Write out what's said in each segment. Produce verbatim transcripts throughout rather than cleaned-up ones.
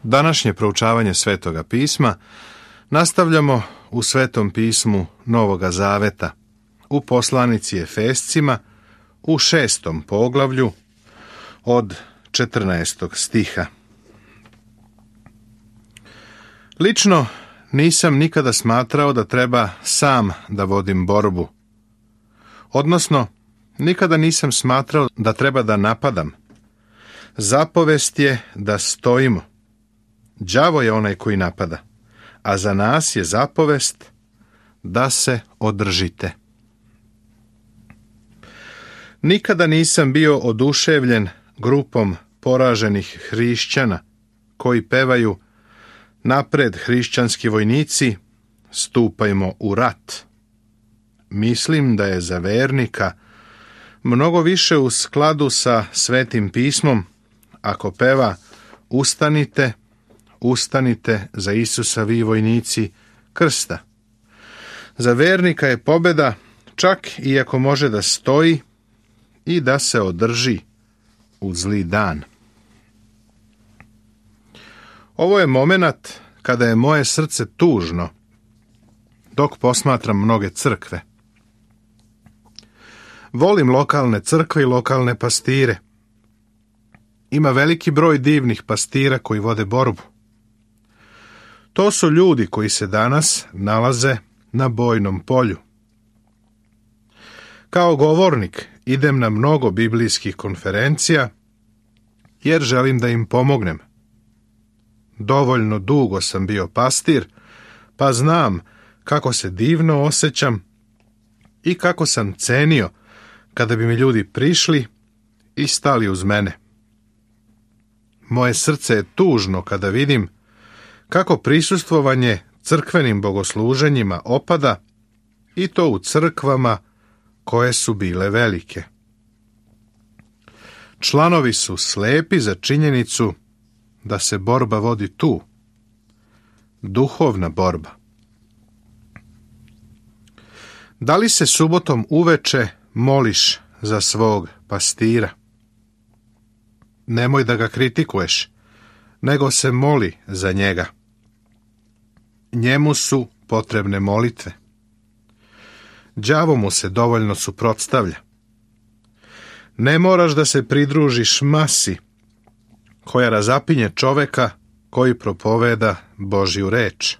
Današnje proučavanje Svetoga pisma nastavljamo u Svetom pismu Novoga Zaveta, u poslanici Efescima, u šestom poglavlju od četrnaestog stiha. Lično nisam nikada smatrao da treba sam da vodim borbu. Odnosno, nikada nisam smatrao da treba da napadam. Zapovest je da stojimo. Đavo je onaj koji napada, a za nas je zapovest da se održite. Nikada nisam bio oduševljen grupom poraženih hrišćana koji pevaju: napred hrišćanski vojnici, stupajmo u rat. Mislim da je za vernika mnogo više u skladu sa Svetim pismom ako peva: ustanite, ustanite za Isusa vi vojnici krsta. Za vernika je pobjeda čak i ako može da stoji i da se održi u zli dan. Ovo je momenat kada je moje srce tužno dok posmatram mnoge crkve. Volim lokalne crkve i lokalne pastire. Ima veliki broj divnih pastira koji vode borbu. To su ljudi koji se danas nalaze na bojnom polju. Kao govornik idem na mnogo biblijskih konferencija jer želim da im pomognem. Dovoljno dugo sam bio pastir, pa znam kako se divno osjećam i kako sam cenio kada bi mi ljudi prišli i stali uz mene. Moje srce je tužno kada vidim kako prisustvovanje crkvenim bogosluženjima opada, i to u crkvama koje su bile velike. Članovi su slepi za činjenicu da se borba vodi tu. Duhovna borba. Da li se subotom uveče moliš za svog pastira? Nemoj da ga kritikuješ, nego se moli za njega. Njemu su potrebne molitve. Đavo mu se dovoljno suprotstavlja. Ne moraš da se pridružiš masi koja razapinje čoveka koji propoveda Božju reč.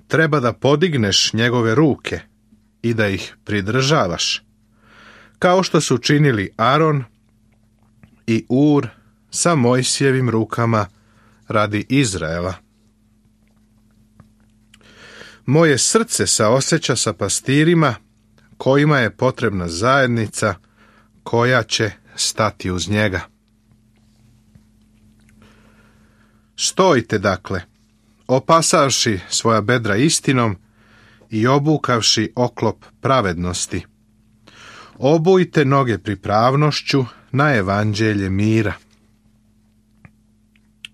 Treba da podigneš njegove ruke i da ih pridržavaš, kao što su činili Aron i Ur sa Mojsijevim rukama radi Izraela. Moje srce saoseća sa pastirima kojima je potrebna zajednica koja će stati uz njega. Stojite dakle, opasavši svoja bedra istinom i obukavši oklop pravednosti. Obujte noge pripravnošću na evanđelje mira.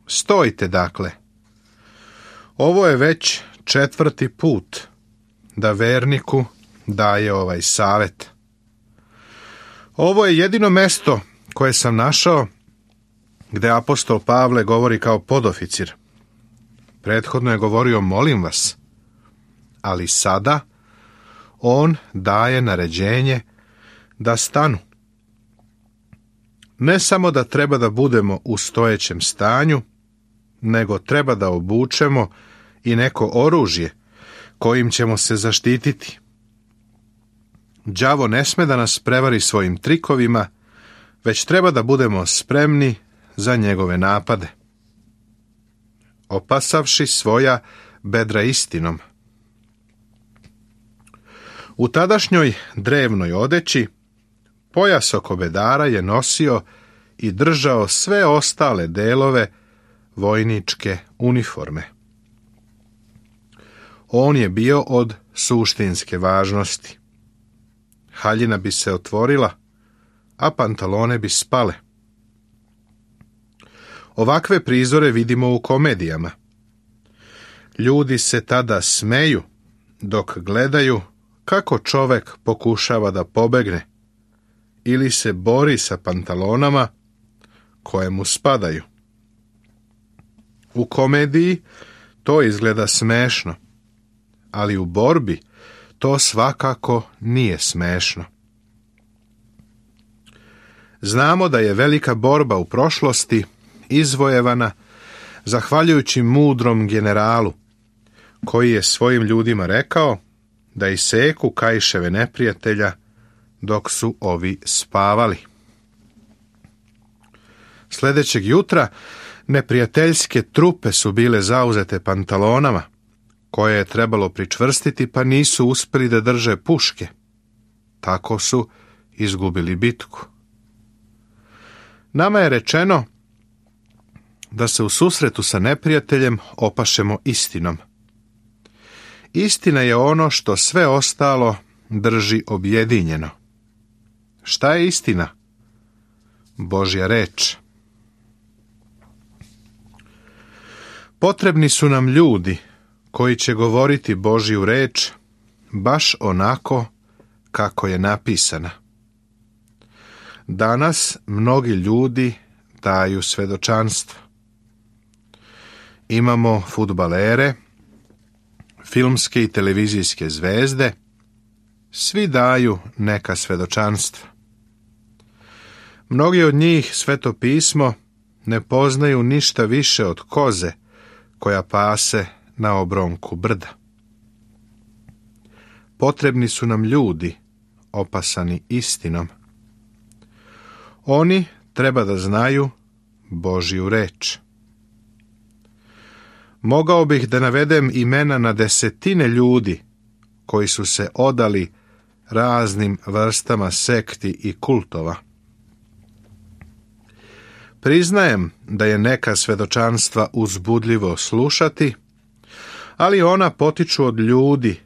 Stojite dakle. Ovo je već četvrti put da verniku daje ovaj savjet. Ovo je jedino mesto koje sam našao gde apostol Pavle govori kao podoficir. Prethodno je govorio molim vas, ali sada on daje naređenje da stanu. Ne samo da treba da budemo u stojećem stanju, nego treba da obučemo i neko oružje kojim ćemo se zaštititi. Đavo ne sme da nas prevari svojim trikovima, već treba da budemo spremni za njegove napade. Opasavši svoja bedra istinom. U tadašnjoj drevnoj odeći pojas oko bedara je nosio i držao sve ostale delove vojničke uniforme. On je bio od suštinske važnosti. Haljina bi se otvorila, a pantalone bi spale. Ovakve prizore vidimo u komedijama. Ljudi se tada smeju dok gledaju kako čovek pokušava da pobegne ili se bori sa pantalonama koje mu spadaju. U komediji to izgleda smešno, ali u borbi to svakako nije smešno. Znamo da je velika borba u prošlosti izvojevana zahvaljujući mudrom generalu, koji je svojim ljudima rekao da iseku kaiševe neprijatelja dok su ovi spavali. Sljedećeg jutra neprijateljske trupe su bile zauzete pantalonama, koje je trebalo pričvrstiti, pa nisu uspjeli da drže puške. Tako su izgubili bitku. Nama je rečeno da se u susretu sa neprijateljem opašemo istinom. Istina je ono što sve ostalo drži objedinjeno. Šta je istina? Božja reč. Potrebni su nam ljudi koji će govoriti Božju reč baš onako kako je napisana. Danas mnogi ljudi daju svedočanstvo. Imamo fudbalere, filmske i televizijske zvezde, svi daju neka svedočanstva. Mnogi od njih Sveto pismo ne poznaju ništa više od koze koja pase na obronku brda. Potrebni su nam ljudi opasani istinom. Oni treba da znaju Božju reč. Mogao bih da navedem imena na desetine ljudi koji su se odali raznim vrstama sekti i kultova. Priznajem da je neka svedočanstva uzbudljivo slušati, ali ona potiču od ljudi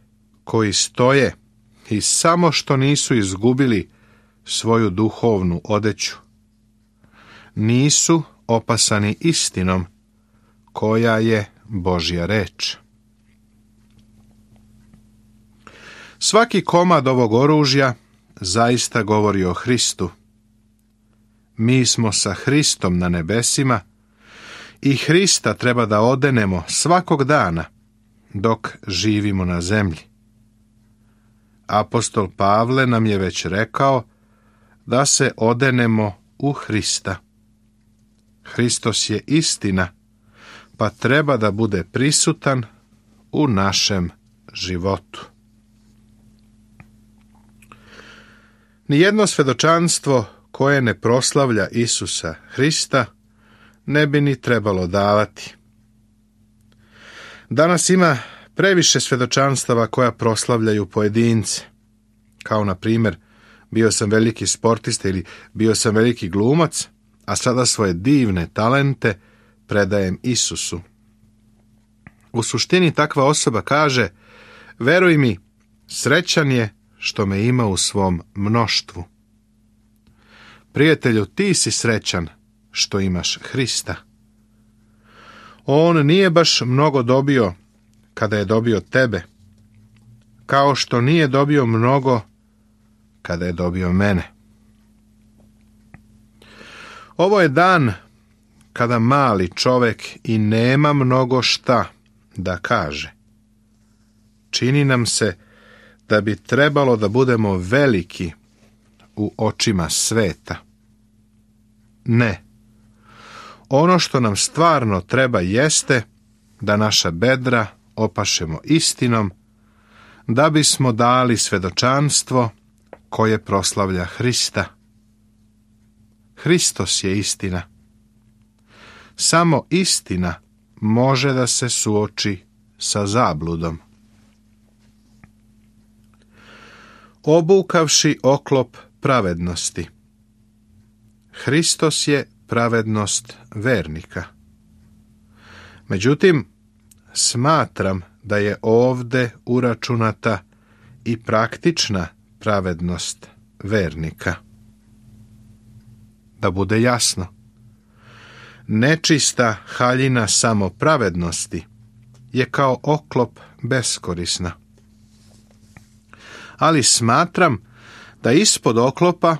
koji stoje i samo što nisu izgubili svoju duhovnu odeću. Nisu opasani istinom koja je Božja reč. Svaki komad ovog oružja zaista govori o Hristu. Mi smo sa Hristom na nebesima i Hrista treba da odenemo svakog dana dok živimo na zemlji. Apostol Pavle nam je već rekao da se odenemo u Hrista. Hristos je istina, pa treba da bude prisutan u našem životu. Nijedno svedočanstvo koje ne proslavlja Isusa Hrista ne bi ni trebalo davati. Danas ima previše svedočanstava koja proslavljaju pojedince, kao na primjer bio sam veliki sportista ili bio sam veliki glumac, a sada svoje divne talente predajem Isusu. U suštini takva osoba kaže: veruj mi, srećan je što me ima u svom mnoštvu. Prijatelju, ti si srećan što imaš Hrista. On nije baš mnogo dobio kada je dobio tebe, kao što nije dobio mnogo kada je dobio mene. Ovo je dan kada mali čovjek i nema mnogo šta da kaže. Čini nam se da bi trebalo da budemo veliki u očima sveta. Ne. Ono što nam stvarno treba jeste da naša bedra opašemo istinom, da bismo dali svedočanstvo koje proslavlja Hrista. Hristos je istina. Samo istina može da se suoči sa zabludom. Obukavši oklop pravednosti. Hristos je pravednost vernika. Međutim, smatram da je ovde uračunata i praktična pravednost vernika. Da bude jasno, nečista haljina samopravednosti je kao oklop beskorisna. Ali smatram da ispod oklopa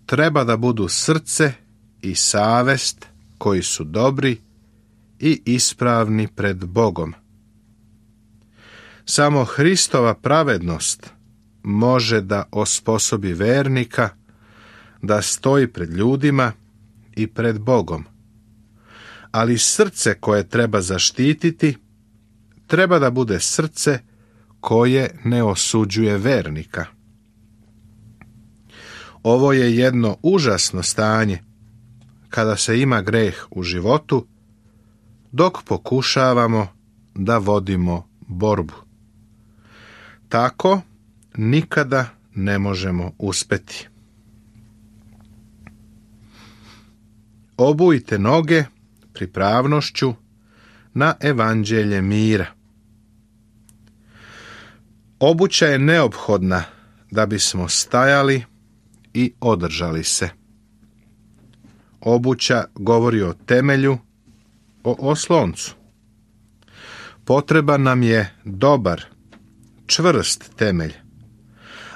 treba da budu srce i savest koji su dobri i ispravni pred Bogom. Samo Hristova pravednost može da osposobi vernika da stoji pred ljudima i pred Bogom. Ali srce koje treba zaštititi treba da bude srce koje ne osuđuje vernika. Ovo je jedno užasno stanje kada se ima greh u životu, dok pokušavamo da vodimo borbu. Tako nikada ne možemo uspeti. Obujte noge pripravnošću na evanđelje mira. Obuća je neophodna da bismo stajali i održali se. Obuća govori o temelju, o osloncu. Potreban nam je dobar, čvrst temelj,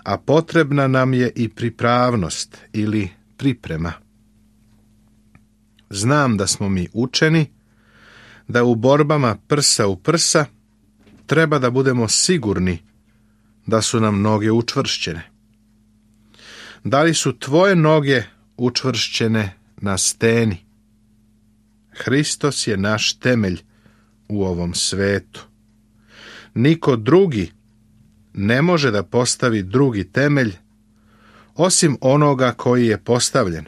a potrebna nam je i pripravnost ili priprema. Znam da smo mi učeni, da u borbama prsa u prsa treba da budemo sigurni da su nam noge učvršćene. Da li su tvoje noge učvršćene na steni? Hristos je naš temelj u ovom svetu. Niko drugi ne može da postavi drugi temelj osim onoga koji je postavljen.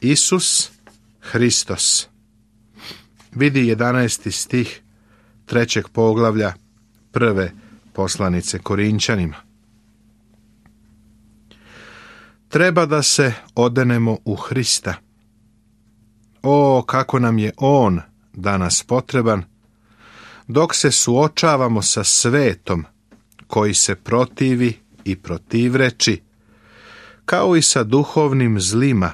Isus Hristos. Vidi jedanaesti stih trećeg poglavlja prve poslanice Korinčanima. Treba da se odenemo u Hrista. O, kako nam je On danas potreban, dok se suočavamo sa svetom koji se protivi i protivreči, kao i sa duhovnim zlima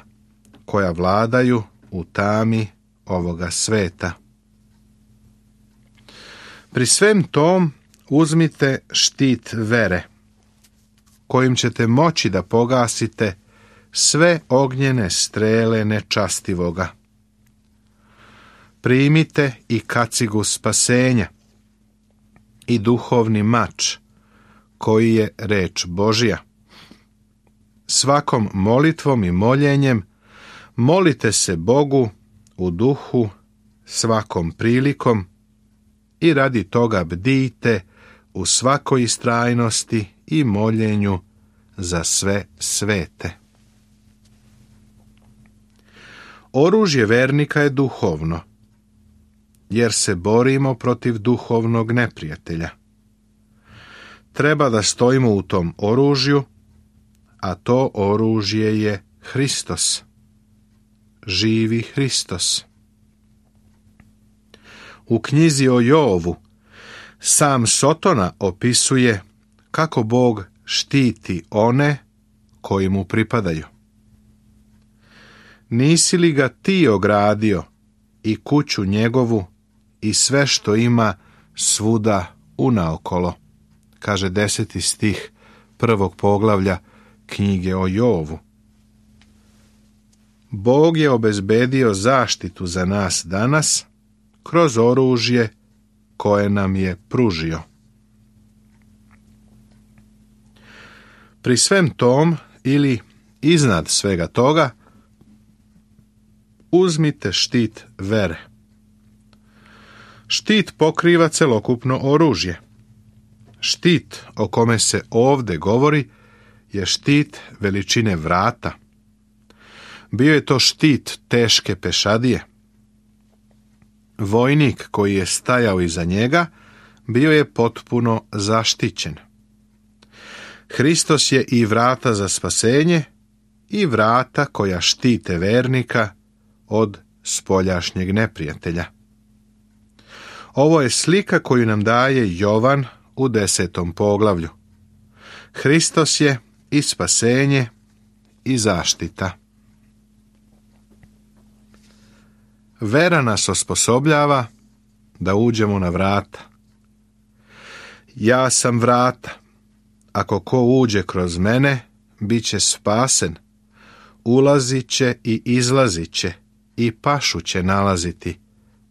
koja vladaju u tami ovoga sveta. Pri svem tom uzmite štit vere, kojim ćete moći da pogasite sve ognjene strele nečastivoga. Primite i kacigu spasenja i duhovni mač, koji je reč Božja. Svakom molitvom i moljenjem molite se Bogu u duhu svakom prilikom i radi toga bdijte u svakoj istrajnosti i moljenju za sve svete. Oružje vernika je duhovno, jer se borimo protiv duhovnog neprijatelja. Treba da stojimo u tom oružju, a to oružje je Hristos. Živi Hristos. U knjizi o Jovu sam Sotona opisuje kako Bog štiti one koji mu pripadaju. Nisi li ga ti ogradio i kuću njegovu i sve što ima svuda unaokolo, kaže deseti stih prvog poglavlja knjige o Jovu. Bog je obezbedio zaštitu za nas danas kroz oružje koje nam je pružio. Pri svem tom ili iznad svega toga uzmite štit vere. Štit pokriva celokupno oružje. Štit o kome se ovde govori je štit veličine vrata. Bio je to štit teške pešadije. Vojnik koji je stajao iza njega bio je potpuno zaštićen. Hristos je i vrata za spasenje i vrata koja štite vernika od spoljašnjeg neprijatelja. Ovo je slika koju nam daje Jovan u desetom poglavlju. Hristos je i spasenje i zaštita. Vera nas osposobljava da uđemo na vrata. Ja sam vrata. Ako ko uđe kroz mene, bit će spasen. Ulazit će i izlazit će i pašu će nalaziti,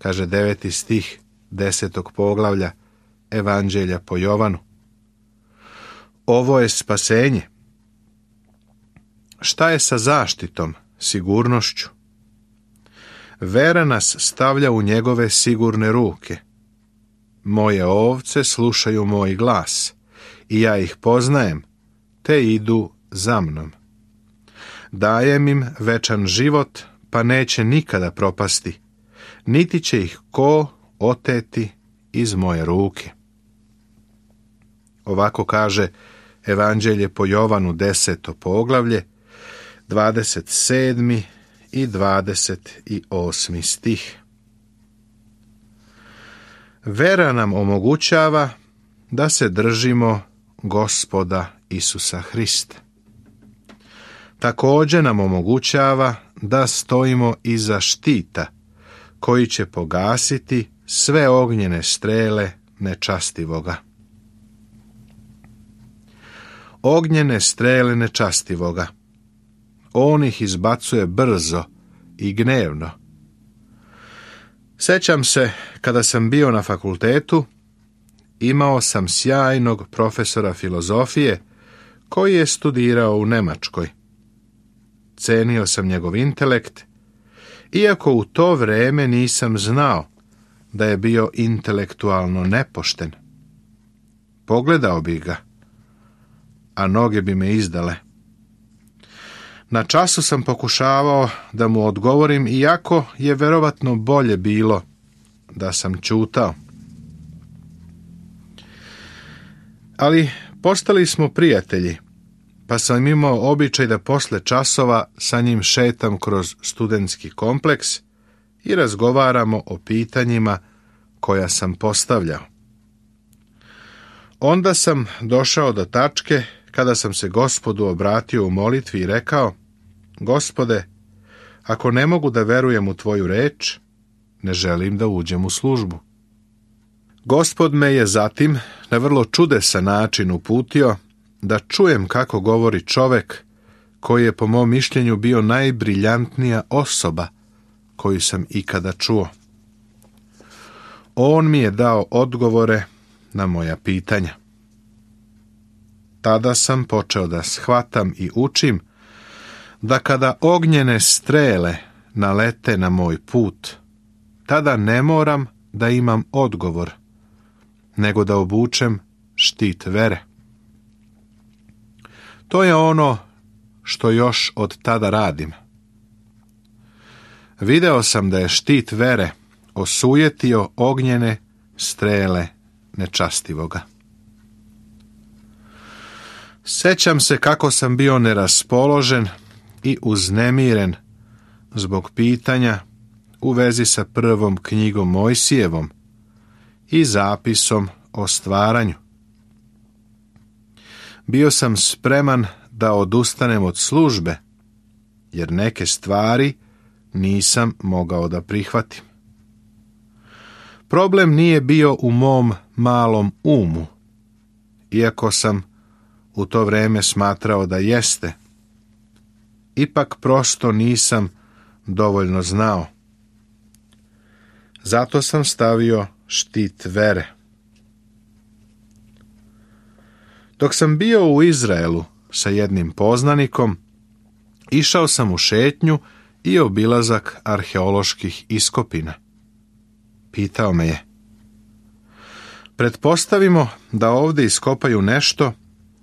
kaže deveti stih desetog poglavlja Evanđelja po Jovanu. Ovo je spasenje. Šta je sa zaštitom, sigurnošću? Vera nas stavlja u njegove sigurne ruke. Moje ovce slušaju moj glas i ja ih poznajem, te idu za mnom. Dajem im večan život, pa neće nikada propasti, niti će ih ko oteti iz moje ruke. Ovako kaže Evanđelje po Jovanu deseto poglavlje, dvadeset sedmi i dvadeset osmi stih. Vera nam omogućava da se držimo Gospoda Isusa Hrista. Također nam omogućava da stojimo iza štita koji će pogasiti sve ognjene strele nečastivoga. Ognjene strele nečastivoga. On ih izbacuje brzo i gnevno. Sjećam se, kada sam bio na fakultetu, imao sam sjajnog profesora filozofije koji je studirao u Njemačkoj. Cenio sam njegov intelekt, iako u to vrijeme nisam znao da je bio intelektualno nepošten. Pogledao bi ga, a noge bi me izdale. Na času sam pokušavao da mu odgovorim, iako je verovatno bolje bilo da sam ćutao. Ali postali smo prijatelji, pa sam imao običaj da posle časova sa njim šetam kroz studentski kompleks i razgovaramo o pitanjima koja sam postavljao. Onda sam došao do tačke kada sam se Gospodu obratio u molitvi i rekao: Gospode, ako ne mogu da verujem u tvoju reč, ne želim da uđem u službu. Gospod me je zatim na vrlo čudesan način uputio da čujem kako govori čovek koji je po mom mišljenju bio najbriljantnija osoba koju sam ikada čuo. On mi je dao odgovore na moja pitanja. Tada sam počeo da shvatam i učim da kada ognjene strele nalete na moj put, tada ne moram da imam odgovor, nego da obučem štit vere. To je ono što još od tada radim. Video sam da je štit vere osujetio ognjene strele nečastivoga. Sjećam se kako sam bio neraspoložen i uznemiren zbog pitanja u vezi sa prvom knjigom Mojsijevom i zapisom o stvaranju. Bio sam spreman da odustanem od službe, jer neke stvari nisam mogao da prihvatim. Problem nije bio u mom malom umu, iako sam u to vrijeme smatrao da jeste. Ipak prosto nisam dovoljno znao. Zato sam stavio štit vere. Dok sam bio u Izraelu sa jednim poznanikom, išao sam u šetnju i obilazak arheoloških iskopina. Pitao me je: pretpostavimo da ovdje iskopaju nešto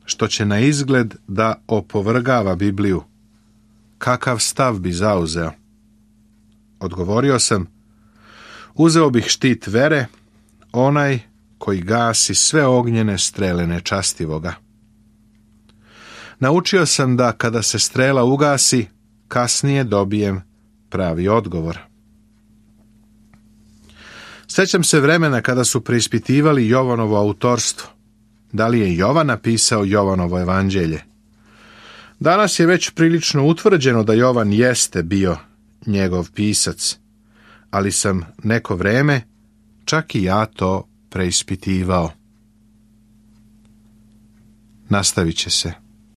što će na izgled da opovrgava Bibliju. Kakav stav bi zauzeo? Odgovorio sam: uzeo bih štit vere, onaj koji gasi sve ognjene strele nečastivoga. Naučio sam da kada se strela ugasi, kasnije dobijem pravi odgovor. Sjećam se vremena kada su preispitivali Jovanovo autorstvo. Da li je Jovan napisao Jovanovo evanđelje? Danas je već prilično utvrđeno da Jovan jeste bio njegov pisac, ali sam neko vreme čak i ja to preispitivao. Nastavit će se.